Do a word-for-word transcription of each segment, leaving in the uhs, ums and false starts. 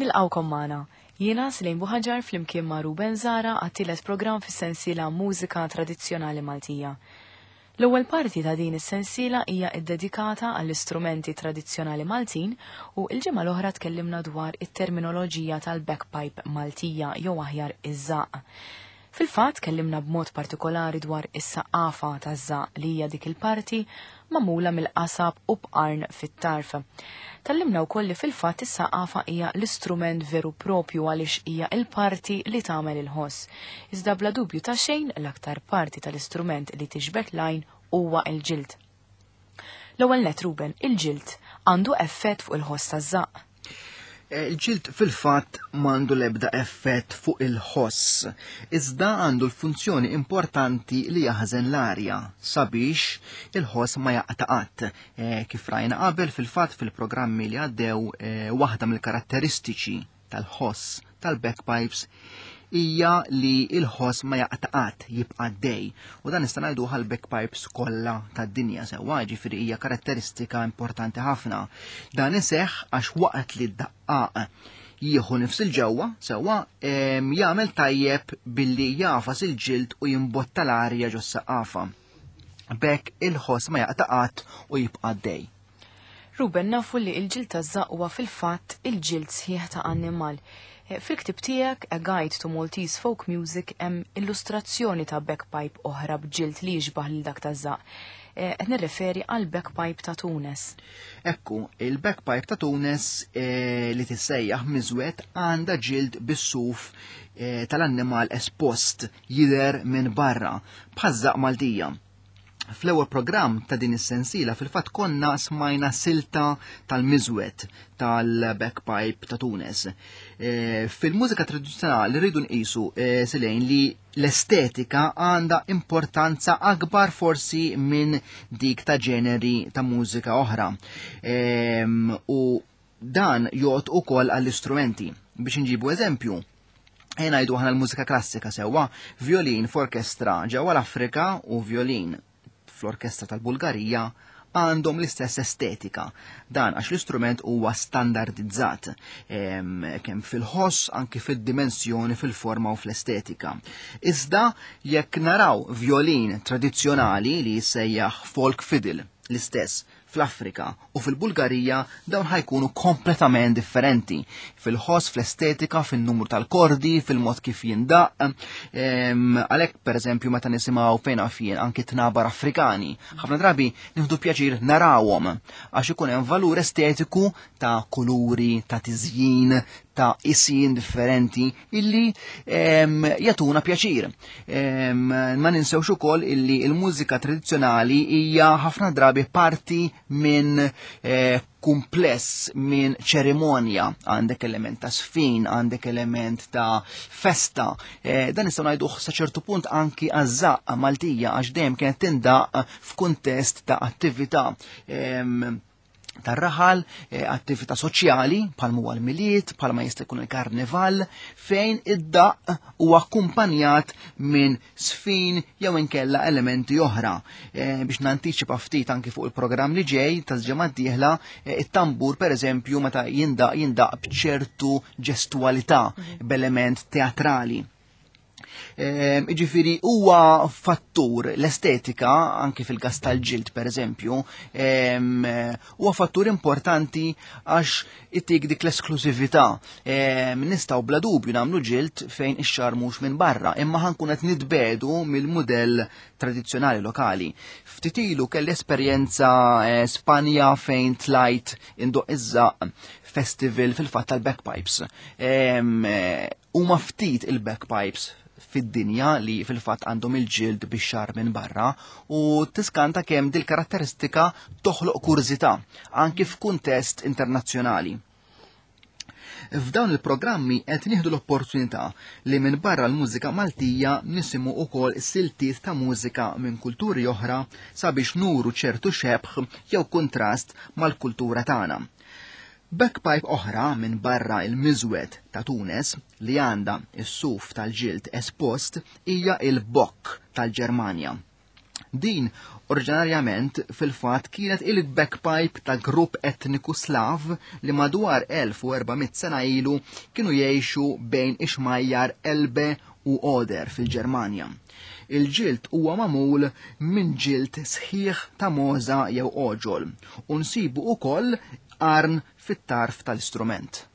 Nilqgħukom magħna. Jiena Selene Buhagiar flimkien ma' Ruben Zahra għat-tielet programm fis-sensiela Mużika Tradizzjonali Maltija. L-ewwel parti ta' din is-sensiela hija ddedikata għall-istrumenti tradizzjonali Maltin u l-ġimgħa l-oħra tkellimna dwar it-terminoloġija tal-bagpipe Maltija jew aħjar iż-żaqq. Fil-fatt kellimna b'mod partikolari dwar is-saqqafa taż-żaqq li hija dik il-parti magħmula mill-qasab u b'qarn fit-tarf. Tgħallimna wkoll li fil-fatt is-saqqafa hija l-istrument veru propju għaliex hija il-parti li tagħmel il-ħoss. Iżda bla dubju ta' xejn l-aktar parti tal-istrument li tiġbed l-għajn huwa il-ġild. L-ewwel net Ruben, il-ġild għandu effett fuq il-ħoss taż-żaqq. Il-ġild fil-fatt m'għandu l-ebda effett fuq il-ħoss, iżda għandu l-funzjoni importanti li jaħżen l-arja sabiex il-ħoss ma jaqta' qatt. Eh, kif rajna qabel fil-fatt fil-programmi li għaddew eh, waħda mill-karatteristiċi tal-ħoss tal-bagpipes hija li il-ħoss ma jaqta' qatt jibqa' dej. U dan nista' ngħidu għall-bagpipes kollha tad-dinja sewwa, ġifieri hija karatteristika importanti ħafna. Dan iseħħ għax waqt li d-daqqaq jieħu nifs il-ġewwa sewwa em, jagħmel tajjeb billi jagħfas il-ġild u jimbotta l-arja ġo s-saqqafa. B'hekk il-ħoss ma jaqta' qatt u jibqa' dej. Ruben, nafu li il-ġild taż-żaqq huwa fil-fatt il-ġild sħiħ ta' annimal. Eh, Fil-ktib tiegħek A Guide to Maltese Folk Music hemm illustrazzjoni ta' bagpipe oħra b'ġild li jixbaħ lil dak taż-żaqq. Eh, Qed nirreferi għal bagpipe ta' Tunes. Ekku, il-bagpipe ta' Tunes eh, li tissejjaħ miżwed għandha ġild bis-suf eh, tal-annimal espost jidher minn barra bħaż-żaqq Maltija. Fl-ewwel programm ta' din is-sensiela fil-fatt konna smajna silta tal-miżwed tal-bagpipe ta' Tunes. E, Fil-mużika tradizzjonali rridu nqisu e, Selene li l-estetika għandha importanza akbar forsi minn dik ta' ġeneri ta' mużika oħra. Em, U dan jgħod ukoll għall-istrumenti. Biex nġibu eżempju, Ejja ngħidu aħna l-mużika klassika sewwa, violin f'orkestra ġewwa l-Afrika u violin fl-orkestra tal-Bulgarija għandhom l-istess estetika. Dan għax l-istrument huwa standardizzat em, kemm fil-ħoss, anki fil-dimensjoni, fil-forma u fl-estetika. Iżda jekk naraw violin tradizzjonali li jissejjaħ folk fiddle l-istess fl-Afrika u fil-Bulgarija dawn ħa jkunu kompletament differenti fil-ħoss, fl-estetika, fil-numru tal-kordi, fil-mod kif jindaq. Em, Għalhekk per eżempju meta nisimgħu fejn fien anki tnabar Afrikani, ħafna drabi nieħdu pjaċir narawhom għax ikun hemm valur estetiku ta' kuluri, ta' tiżjin, ta' isin differenti illi em, jatuna pjaċir. Em, Ma ninsewx ukoll illi il-mużika tradizzjonali hija ħafna drabi parti minn eh, kumpless, minn ċerimonja, għandek element ta' sfin, għandek element ta' festa. Eh, dan nistgħu ngħiduh sa ċertu punt anki għaż-żaqq Maltija għax dejjem kienet tindaq f'kuntest ta' attività. Em, tar-raħal, eh, attività soċjali bħal huwa l-Milied, bħal ma jista' jkun il-karnival, fejn id-daq huwa akkumpanjat minn sfin jew inkella elementi oħra. Eh, biex nantiċipa ftit anki fuq il-programm li ġej taż-ġimgħa d-dieħla, eh, it-tambur pereżempju meta jindaq jindaq b'ċertu ġestualità, b'element teatrali. Ehm, Ġifieri huwa fattur l-estetika anki fil-gas tal-ġild per eżempju, ehm, huwa fattur importanti għax itik dik l-esklużività. Ehm, Nistgħu bla dubju nagħmlu ġild fejn ix-xagħar mhux minn barra, imma ħa nkun qed nitbiegħdu mill-mudell tradizzjonali lokali. Ftit ilu kelli esperjenza eh, Spanja fejn tlajt indoqq iż-żaqq festival fil-fatt tal-bagpipes. Ehm, eh, Huma ftit il-bagpipes fid-dinja li fil-fatt għandhom il-ġild bix-xagħar minn barra u tiskanta kemm dil karatteristika toħloq kurżità anki f'kuntest internazzjonali. F'dawn il-programmi qed nieħdu l-opportunità li minn barra l-mużika Maltija nisimgħu wkoll siltiet ta' mużika minn kulturi oħra sabiex nuru ċertu xebħ jew kontrast mal-kultura tagħna. Bagpipe oħra minn barra il-miżwed ta' Tunes li għandha is-suf tal-ġild espost hija il-Bock tal-Ġermanja. Din oriġinarjament fil-fatt kienet il-bagpipe ta' grupp etniku Slav li madwar elf u erba' mitt sena ilu kienu jgħixu bejn ix-xmajjar Elbe u Oder fil-Ġermanja. Il-ġild huwa magħmul minn ġild sħiħ ta' moża jew oġol u nsibu ukoll qarn fit-tarf tal-istrument.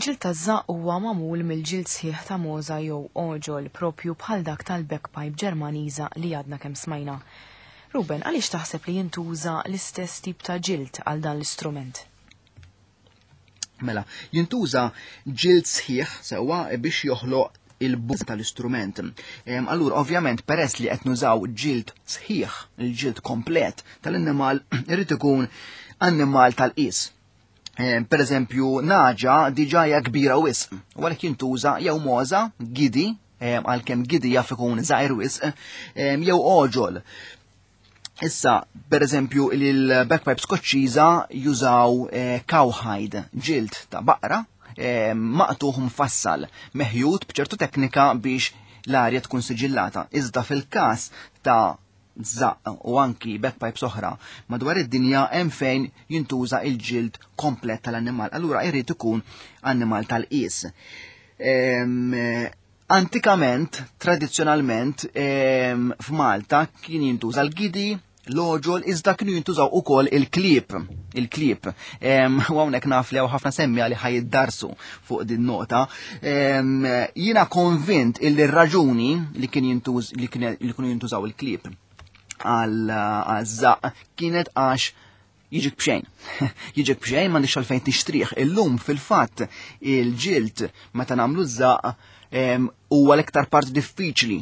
Il-ġild taż-żaqq huwa magħmul mill-ġild sħiħ ta' moża jew oġol propju bħal dak tal-bagpipe Ġermaniża li għadna kemm smajna. Ruben, għaliex taħseb li jintuża l-istess tip ta' ġild għal dan l-istrument? Mela, jintuża ġild sħiħ sewwa biex joħloq il-buż tal-istrument. Allura, ovvjament, peress li qed nużaw ġild sħiħ, il-ġild komplet tal-annimal, irid ikun annimal tal-qis. Per eżempju, naġa diġà hija kbira wisq, u għalhekk jintuża jew moża, gidi, għalkemm gidi jaf ikun żgħir wisq, jew oġol. Issa, per eżempju, il-bagpipe Skoċċiża jużaw cowhide, ġild ta' baqra, maqtuħ mfassal, meħjut b'ċertu teknika biex l-arja tkun siġillata. Iżda fil-każ ta' żaqq u anki bagpipes oħra madwar id-dinja hemm fejn jintuża il-ġild komplet tal-annimal. Allura jrid ikun annimal tal-qies. Antikament, tradizzjonalment, f'Malta kien jintuża l-gidi, l-oġol, iżda kienu jintużaw ukoll il-klieb, il-klieb. U hawnhekk naf li hawn ħafna semmija li ħajiddarsu fuq din nota. Jiena konvint illi r-raġuni li kien jintuż, li kien, li kienu jintużaw il-klieb għal-żaqq kienet għax jiġik b'xejn. Jiġik b'xejn, m'għandix għalfejn tixtrih. Illum fil-fatt il-ġild meta nagħmlu ż-żaqq huwa l-iktar part diffiċli.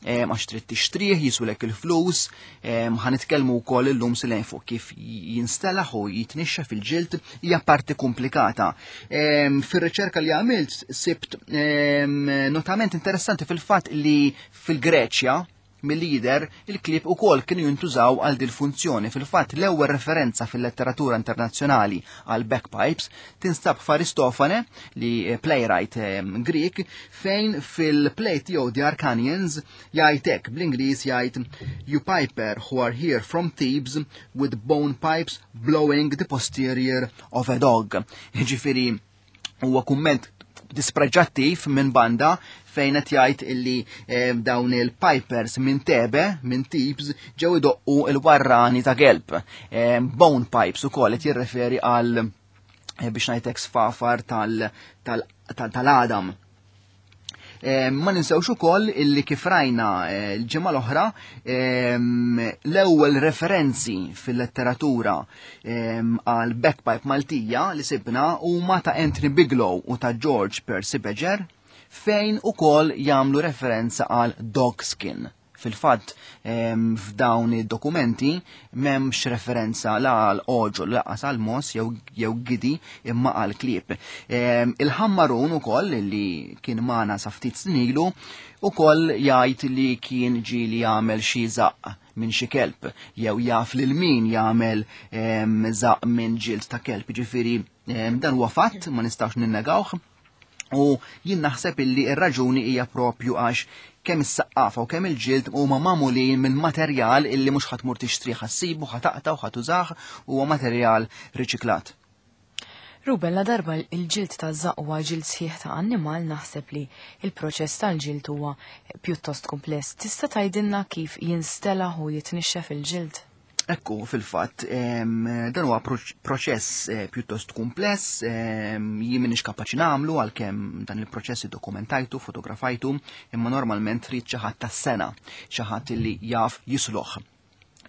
Għax trid tixtrih, jisulek il-flus, ħanitkellmu wkoll illum silejn fuq kif jinstelaħ u jitnixxa fil-ġild, hija parti komplikata. Fir-riċerka li għamilt sibt notament interessanti fil-fatt li fil-Greċja Mill-lider, il-klieb ukoll kienu jintużaw għal dil funzjoni. Fil-fatt, l-ewwel referenza fil-letteratura internazzjonali għal bagpipes tinstab f'Aristofane, li playwright Greek, fejn fil-play tiegħu The Acharnians jgħid hekk, bl-Ingliż jgħid: "You piper who are here from Thebes with bone pipes blowing the posterior of a dog." Jiġifieri huwa kumment dispreġattiv minn banda fejn qed jgħid illi eh, dawn il-pipers minn Tebe, minn Thebes, ġew idoqqu il-warrani ta' kelb. Eh, bone pipes ukoll qed jirreferi għal eh, biex ngħidlek sfafar tal-għadam. Ma ninsewx ukoll illi kif rajna l-ġimgħa l-oħra, l-ewwel referenzi fil-letteratura għal bagpipe Maltija li sibna huma ta' Anthony Bigelow u ta' George Percy Badger, fejn ukoll jagħmlu referenza għal dog skin. Fil-fatt, f'dawn id-dokumenti m'hemmx referenza la għal għoġol lanqas għal mogħoż jew jew gidi, imma għal klieb. Il-Ħammarun ukoll, li kien magħna sa ftit snin ilu, ukoll jgħid li kien ġieli jagħmel xi żaqq minn xi kelb jew jaf lil min jagħmel żaqq minn ġild ta' kelb. Ġifieri dan huwa fatt, ma nistax ninnegawh. U jien naħseb illi ir-raġuni hija propju għax kemm is-saqqafa u kemm il-ġild huma magħmulin minn materjal illi mhux ħa tmur tixtri, ħa ssibu, ħa taqta' u ħa tużah, huwa materjal riċiklat. Ruben, la darba il-ġild ta' żaqq huwa ġild sħiħ ta' annimal, naħseb li il-proċess tal-ġild huwa pjuttost kumpless. Tista' tgħidilna kif jinstelaħ u jitnixxef il-ġild? Ekku, fil-fatt, dan huwa proċess eh, pjuttost kumpless, jien m'iniex kapaċi nagħmlu, għalkemm dan il-proċess dokumentajtu, fotografajtu, imma normalment trid xi ħadd tas-sengħa, xi ħadd li jaf jisloħ.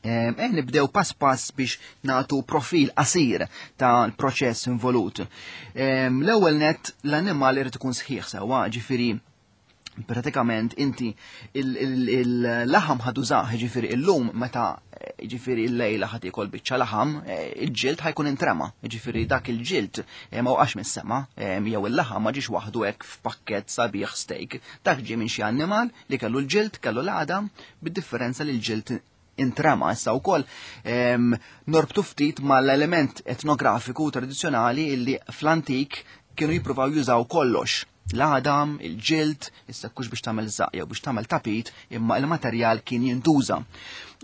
Eh, nibdew pass pass biex nagħtu profil qasir ta' l-proċess involut. L-ewwel net, l-annimal irid ikun sħiħ sewwa, ġifieri pratikament inti il-laħam ħa tużah, ġifieri illum meta, ġifieri il-lejla ħa tiekol biċċa laħam, il-ġild ħa jkun intrema, ġifieri dak il-ġild ma waqax mis-sema, jew il-laħam ma ġiex waħdu hekk f'pakkett sabiħ steak, dak ġie minn xi annimal li kellu l-ġild, kellu l-għadam, bid-differenza li l-ġild intrema. Issa wkoll norbtu ftit mal-element etnografiku tradizzjonali illi fl-antik kienu jippruvaw jużaw kollox. L-għadam, il-ġild, issa kux biex tagħmel żaqq jew biex tagħmel tapit, imma il-materjal kien jintuża.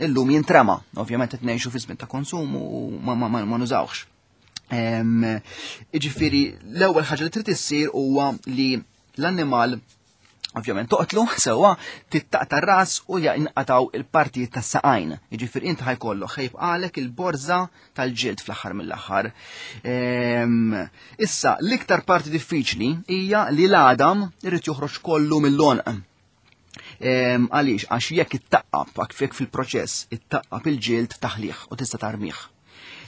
Illum jintrema, ovvjament qed ngħixu fi żmien ta' konsum u ma, ma, ma, ma nużawx. Iġifieri l-ewwel ħaġa li trid issir huwa li l-annimal ovvjament toqtlu sewwa, tittaqta ras u jinqataw il-partijiet tas-saqajn. Jiġifieri inti ħa jkollok ħa jibqagħlek il-borża tal-ġild fl-aħħar mill-aħħar. Issa l-iktar parti diffiċli hija li l-għadam irid joħroġ kollu mill-għonq. Għaliex? Għax jekk ittaqqab, jekk fil-proċess ittaqqab il-ġild, taħlih u tista' tarmih.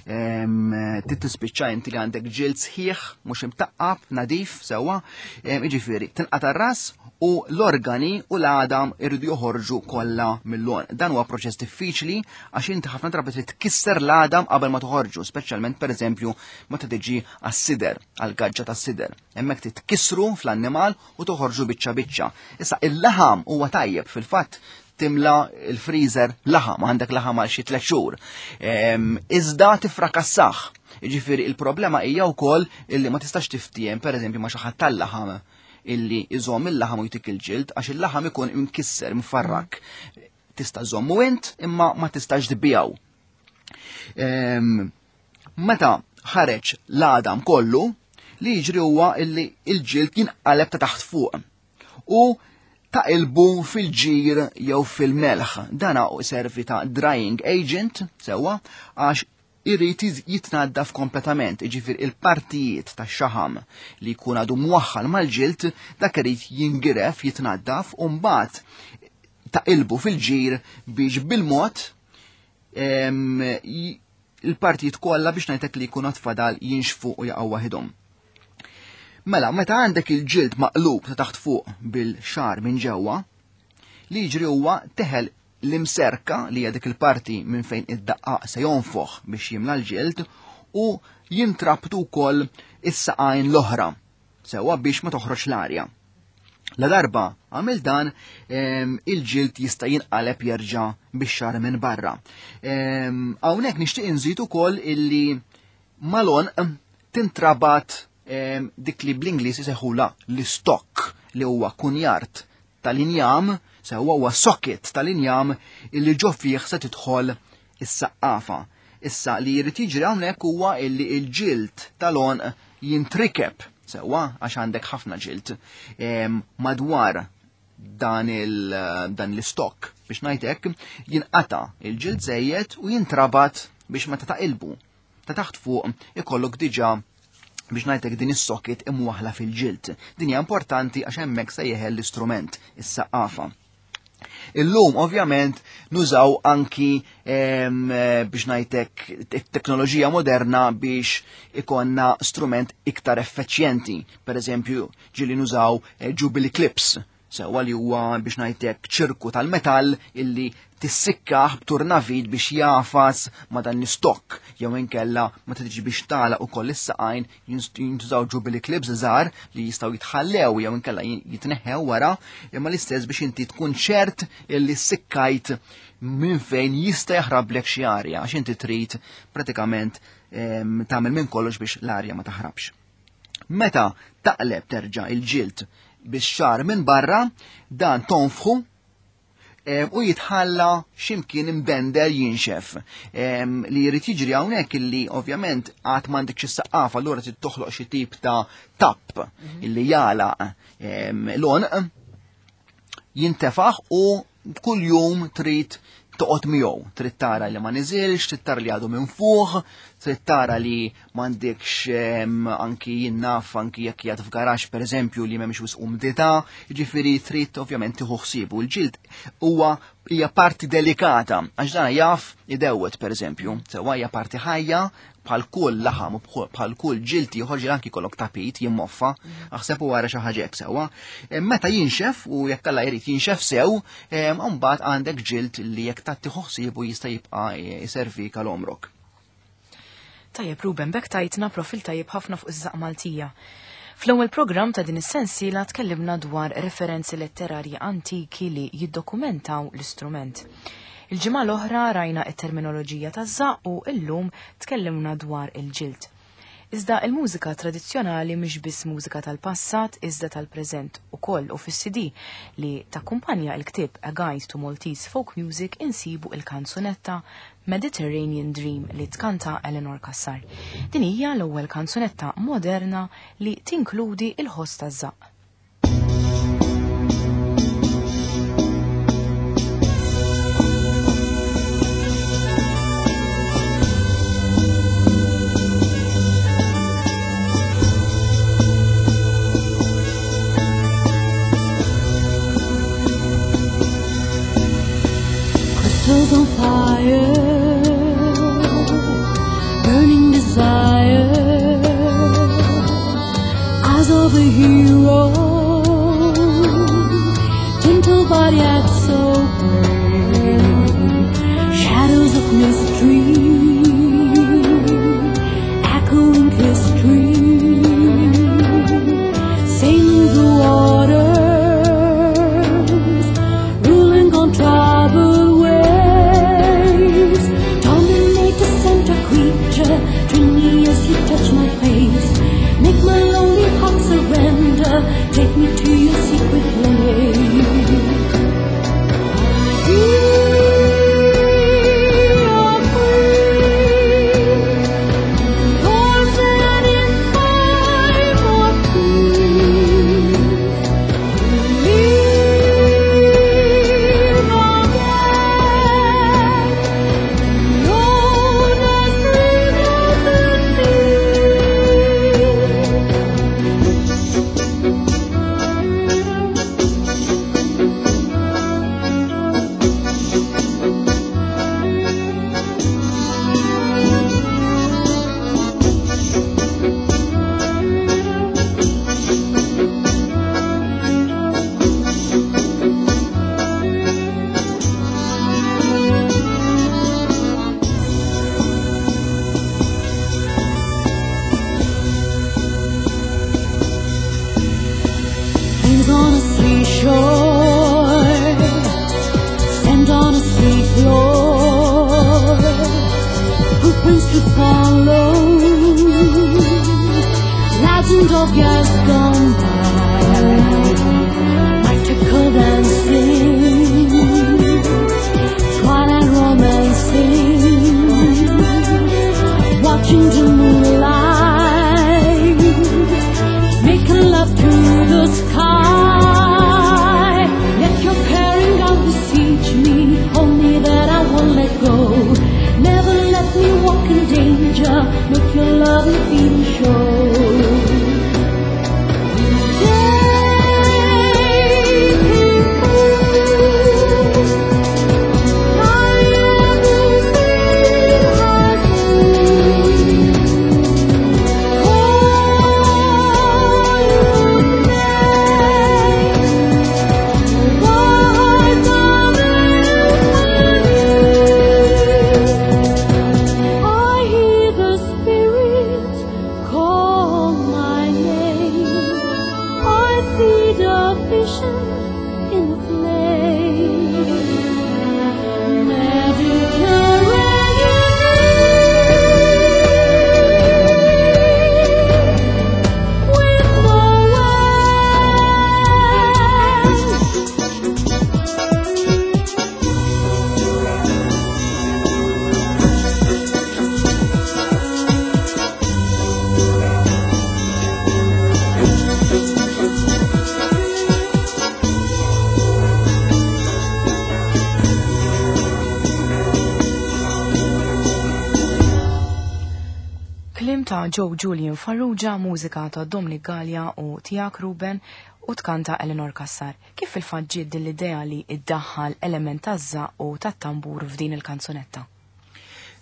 Tispiċċa inti li għandek ġild sħiħ, mhux imtaqqab, nadif, sewwa, jiġifieri tinqata' ras u l-organi u l-għadam irridu joħorġu kollha mill-għonq. Dan huwa proċess diffiċli għax inti ħafna drabi trid tkisser l-għadam qabel ma toħorġu, speċjalment pereżempju meta tiġi għas-sider, għall-gaġġa tas-sider. Hemmhekk titkissru fl-annimal u toħorġu biċċa biċċa. Issa il-laħam huwa tajjeb, fil-fatt timla il-freezer laħam, għandek laħam għal xi tliet xhur. Iżda tifrakassah. Jiġifieri il-problema hija wkoll illi ma tistax tiftiem pereżempju ma xi ħadd tal-laħam illi iżomm il-laħam u jtik il-ġild, għax il-laħam ikun imkisser, mfarrak. Tista' żommu int, imma ma tistax tbigħu. Meta ħareġ l-għadam kollu, li jiġri huwa illi il-ġild jinqaleb ta' taħt fuq. U taqilbu fil-ġir jew fil-melħ. Dana u servi ta' drying agent, sewwa, għax irrid jitnaddaf kompletament, iġifieri il-partijiet ta' xaħam li jkun għadu mwaħħal mal-ġild, dak irid jingiref, jitnaddaf, u mbagħad taqilbu fil-ġir biex bil-mod il-partijiet kollha, biex ngħidlek, li jkunu tfadal jinxfu u jaqgħu waħidhom. Mela, meta għandek il-ġild maqlub ta' taħt fuq bil-xagħar minn ġewwa, li jiġri huwa teħel l-imserka, li hija dik il-parti minn fejn id-daqqaq se jonfoħ biex jimla l-ġild, u jintrabtu wkoll is-saqajn l-oħra sewwa biex ma toħroġ l-arja. La darba għamil dan, il-ġild jista' jinqaleb jerġa' bix-xagħar minn barra. Hawnhekk nixtieq inżid ukoll illi mal-għonq tintrabat dik li bl-Ingliż isejħula l-istokk, li huwa kunjart tal-injam, sewa huwa socket tal-injam illi ġo fih se tidħol is-saqqafa. Issa li jrid jiġri hawnhekk huwa illi l-ġild tal-għonq jintrikeb, sewa għax għandek ħafna ġild madwar dan il dan l-istokk, biex ngħidlek, jinqata il-ġild żejjed u jintrabat biex meta taqilbu ta' taħt fuq ikollok diġà, biex ngħidlek, din is-socket imwaħla fil-ġild. Din hija importanti għax hemmhekk se jeħel l-istrument, is-saqqafa. Illum ovvjament nużaw anki biex ngħidlek teknoloġija moderna biex ikonna strument iktar effiċjenti. Per eżempju, ġieli nużaw eh, Jubilee Clips, sewa, li huwa, biex ngħidlek, ċirku tal-metall illi tissikkaħ b'turnavit biex jafas ma dan l-istokk, jew inkella meta tiġi biex tagħlaq ukoll is-saqajn jintużaw Jubilee Clips żgħar li jistgħu jitħallew jew inkella jitneħħew wara, imma l-istess biex inti tkun ċert illi sikkajt minn fejn jista' jaħrablek xi arja, għax inti trid pratikament tagħmel minn kollox biex l-arja ma taħrabx. Meta taqleb terġa' il-ġild bix-xagħar minn barra, dan tonfħu u jitħalla ximkien imbender jinxef. Li jrid jiġri hawnhekk illi ovvjament għad m'għandekx is-saqqafa, allura trid toħloq xi tip ta' tapp mhm. illi jagħlaq l-għonq, jintefaħ u kull jum trid toqgħod miegħu, trid tara li ma niżilx, trid tara li għadu minn fuq, trid tara li m'għandekx anki jinnaf anki jekk jgħad f'garax pereżempju li m'hemmx wisq umdità, jiġifieri trid ovvjament tieħu ħsiebu. Il-ġild huwa hija parti delikata għax dan jaf idewwet pereżempju, sewwa, hija parti ħajja bħal kull laħam u bħal kull ġild ieħor, anki kollok tapit jimmoffa, aħseb u wara xi ħaġa hekk, sewwa. Meta jinxef, u jekk Alla jrid jinxef sew, mbagħad għandek ġild li jekk tagħti ħsieb jista' jibqa' jservi għal għomrok. Tajjeb Ruben, b'hekk tajtna profil tajjeb ħafna fuq iż-żaqq Maltija. Fl-ewwel programm ta' din is-sensiela tkellimna dwar referenzi letterarji antiki li jiddokumentaw l-istrument. Il-ġimgħa l-oħra rajna it-terminoloġija taż-żaqq u illum tkellimna dwar il-ġild. Iżda il-mużika tradizzjonali mhix biss mużika tal-passat iżda tal-preżent ukoll, u fis-C D li takkumpanja il-ktieb A Guide to Maltese Folk Music insibu il-kanzunetta Mediterranean Dream li tkanta Eleanor Cassar. Din hija l-ewwel kanzunetta moderna li tinkludi il-ħoss taż-żaqq. Crystals on fire, burning desire, eyes of a hero, gentle but yet so brave, shadows of mystery, echoing history, sailing the waters, ruling on troubled waves. Dominate the center creature, thrill me as you touch my face. Make my lonely heart surrender, take me to your secret place. to follow. Legend of years gone by, magical dancing, twilight romancing, watching the moonlight, making love to the sky. Let your caring arms besiege me, hold me that I won't let go. Never let me walk in danger, make your loving feeling show. I hear the spirits call my name. I see the vision in the flame. Mediterranean with the wind. Kliem ta' Joe Julian Farrugia, mużika ta' Dominic Gallia u tiegħek Ruben u tkanta Eleanor Cassar. Kif fil-fatt ġiet din l-idea li iddaħħal element taż-żaqq u tat-tambur f'din il-kanzunetta?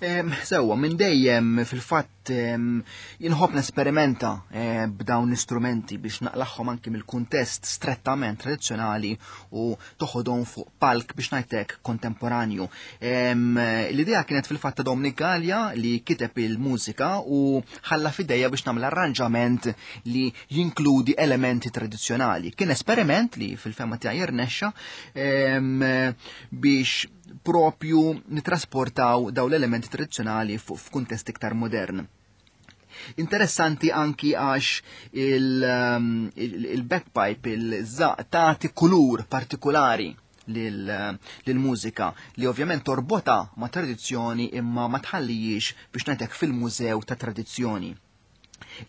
Em, Sewwa, minn dejjem fil-fatt em, inħobb nesperimenta eh, b'dawn l-istrumenti biex naqlagħhom anki mill-kuntest strettament tradizzjonali u toħodhom fuq palk biex ngħidlek kontemporanju. Em, L-idea kienet fil-fatt ta' Dominic Gallia li kiteb il-mużika u ħalla f'idejja biex nagħmel arranġament li jinkludi elementi tradizzjonali. Kien esperiment li fil-fehma tiegħi rnexxa em, biex propju nitrasportaw daw l-elementi tradizzjonali fu- f'kuntest iktar modern. Interessanti anki għax il- um, il- il-bagpipe, il-żaqq tagħti kulur partikolari lil- lil-mużika li ovvjament torbota ma' tradizzjoni imma ma tħallijiex biex ngħidlek fil-mużew ta' tradizzjoni.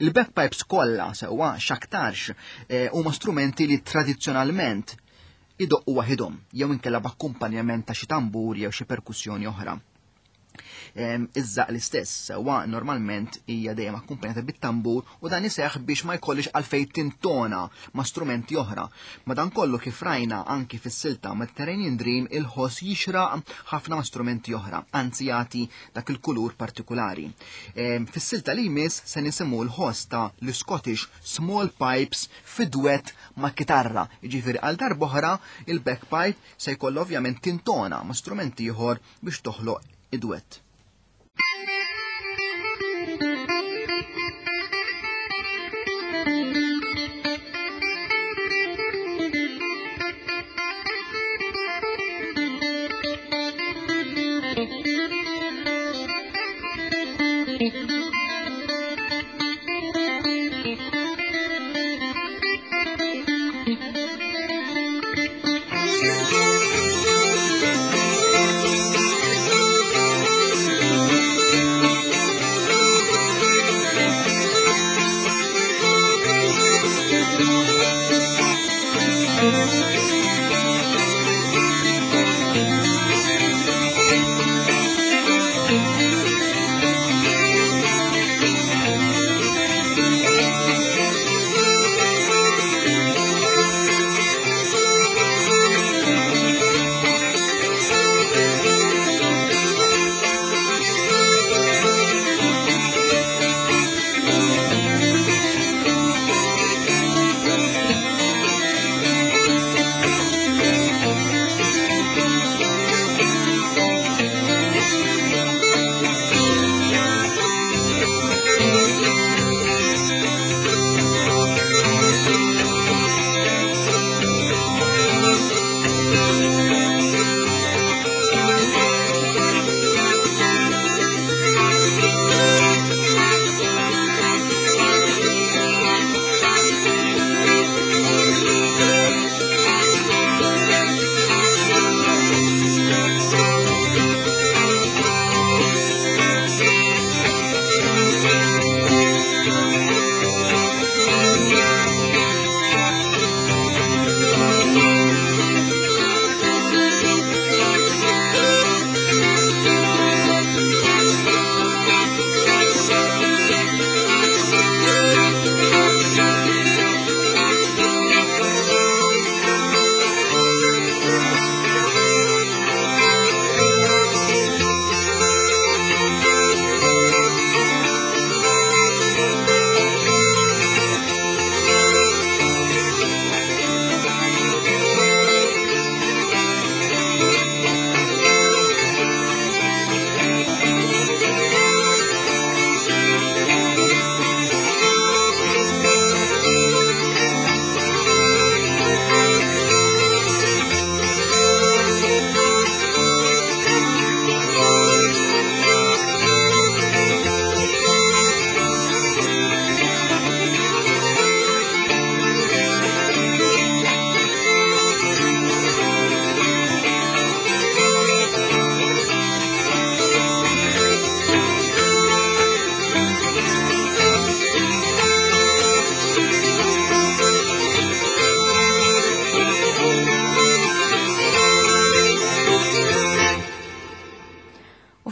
Il-bagpipes kollha sewwa x'aktarx eh, huma strumenti li tradizzjonalment idoqqu waħidhom jew inkella b'akkumpanjament ta' xi tambur jew xi perkussjoni oħra. Em, Iż-żaqq l-istess, sewwa normalment hija dejjem akkumpanjata bit-tambur u dan iseħħ biex ma jkollix għalfejn tintona ma' strumenti oħra. Madankollu kif rajna anki fis-silta Mediterranean Dream il-ħoss jixraq ħafna ma' strumenti oħra, anzi jagħti dak il-kulur partikolari. Em, Fis-silta li jmiss se nisimgħu l-ħoss ta' l-Scottish Small Pipes fi duet ma' kitarra. Jiġifieri għal darb'oħra il-bagpipe se jkollha ovvjament tintona ma' strumenti ieħor biex toħloq id-duett. Thank you.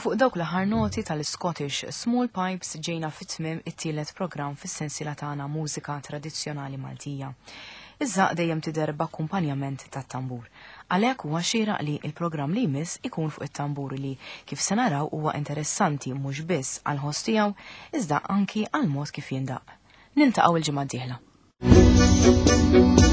Fuq dawk l-aħħar noti tal-Scottish Small Pipes ġejna fit-tmiem it-tielet programm fis-sensiela tagħna Mużika Tradizzjonali Maltija. Iż-żaqq dejjem tidher b'akkumpanjament tat-tambur. Għalhekk huwa xieraq li il-programm li jmiss ikun fuq it-tambur li kif se naraw huwa interessanti mhux biss għal ħoss tiegħu iżda anki għal mod kif jindaq. Niltaqgħu il-ġimgħa d-dieħla.